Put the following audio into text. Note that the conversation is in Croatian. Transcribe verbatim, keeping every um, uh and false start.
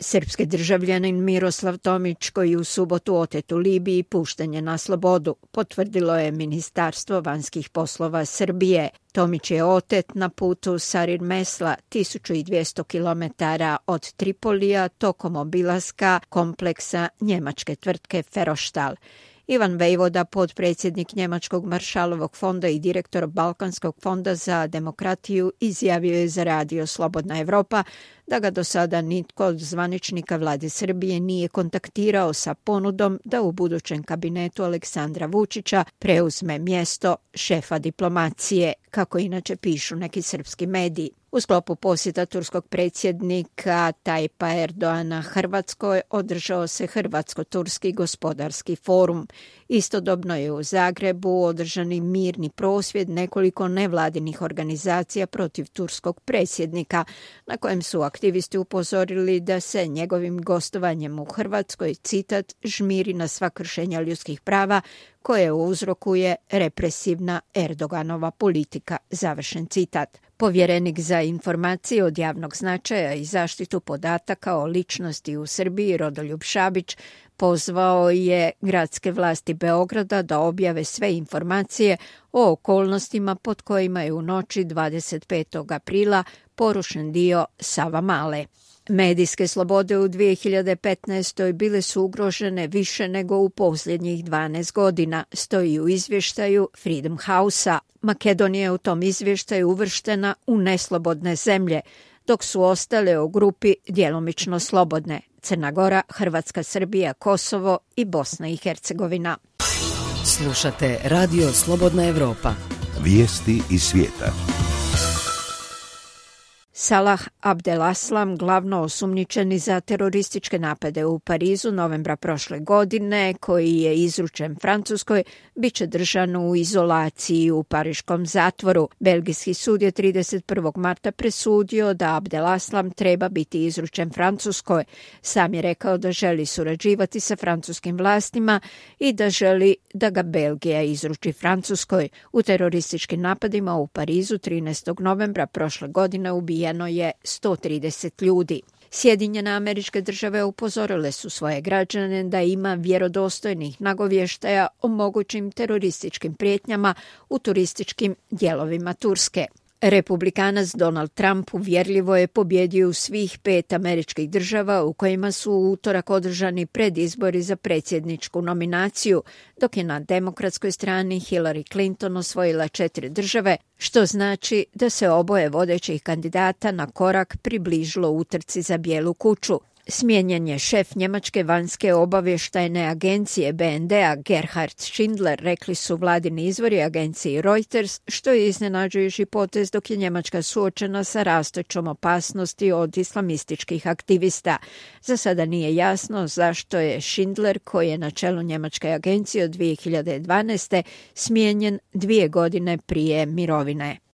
Srpski državljanin Miroslav Tomić, koji u subotu otet u Libiji, pušten je na slobodu, potvrdilo je Ministarstvo vanjskih poslova Srbije. Tomić je otet na putu Sarir Mesla, tisuću dvjesto kilometara od Tripolija, tokom obilaska kompleksa njemačke tvrtke Ferrostaal. Ivan Vejvoda, potpredsjednik Njemačkog Maršalovog fonda i direktor Balkanskog fonda za demokratiju, izjavio je za radio Slobodna Evropa da ga do sada nitko od zvaničnika vlade Srbije nije kontaktirao sa ponudom da u budućem kabinetu Aleksandra Vučića preuzme mjesto šefa diplomacije, kako inače pišu neki srpski mediji. U sklopu posjeta turskog predsjednika Tajpa Erdoana Hrvatskoj održao se Hrvatsko-turski gospodarski forum. Istodobno je u Zagrebu održani mirni prosvjed nekoliko nevladinih organizacija protiv turskog predsjednika, na kojem su aktivisti upozorili da se njegovim gostovanjem u Hrvatskoj, citat, žmiri na sva kršenja ljudskih prava koje uzrokuje represivna Erdoganova politika, završen citat. Povjerenik za informacije od javnog značaja i zaštitu podataka o ličnosti u Srbiji, Rodoljub Šabić, pozvao je gradske vlasti Beograda da objave sve informacije o okolnostima pod kojima je u noći dvadeset petog aprila porušen dio Savamale. Medijske slobode u dvije hiljade petnaestoj bile su ugrožene više nego u posljednjih dvanaest godina, stoji u izvještaju Freedom House-a. Makedonija je u tom izvještaju uvrštena u neslobodne zemlje, dok su ostale u grupi djelomično slobodne: Crna Gora, Hrvatska, Srbija, Kosovo i Bosna i Hercegovina. Slušate Radio Slobodna Evropa. Vijesti iz svijeta. Salah Abdelaslam, glavno osumnjičeni za terorističke napade u Parizu novembra prošle godine, koji je izručen Francuskoj, bit će držan u izolaciji u pariškom zatvoru. Belgijski sud je trideset prvog marta presudio da Abdelaslam treba biti izručen Francuskoj. Sam je rekao da želi surađivati sa francuskim vlastima i da želi da ga Belgija izruči Francuskoj. U terorističkim napadima u Parizu trinaestog novembra prošle godine ubijeno je sto trideset ljudi. Sjedinjene Američke Države upozorile su svoje građane da ima vjerodostojnih nagovještaja o mogućim terorističkim prijetnjama u turističkim dijelovima Turske. Republikanac Donald Trump uvjerljivo je pobjedio u svih pet američkih država u kojima su u utorak održani predizbori za predsjedničku nominaciju, dok je na demokratskoj strani Hillary Clinton osvojila četiri države, što znači da se oboje vodećih kandidata na korak približilo utrci za Bijelu kuću. Smijenjen je šef njemačke vanjske obavještajne agencije B N D-a Gerhard Schindler, rekli su vladini izvori agenciji Reuters, što je iznenađujući potez dok je Njemačka suočena sa rastućom opasnosti od islamističkih aktivista. Za sada nije jasno zašto je Schindler, koji je na čelu njemačke agencije od dvije hiljade dvanaeste, smijenjen dvije godine prije mirovine.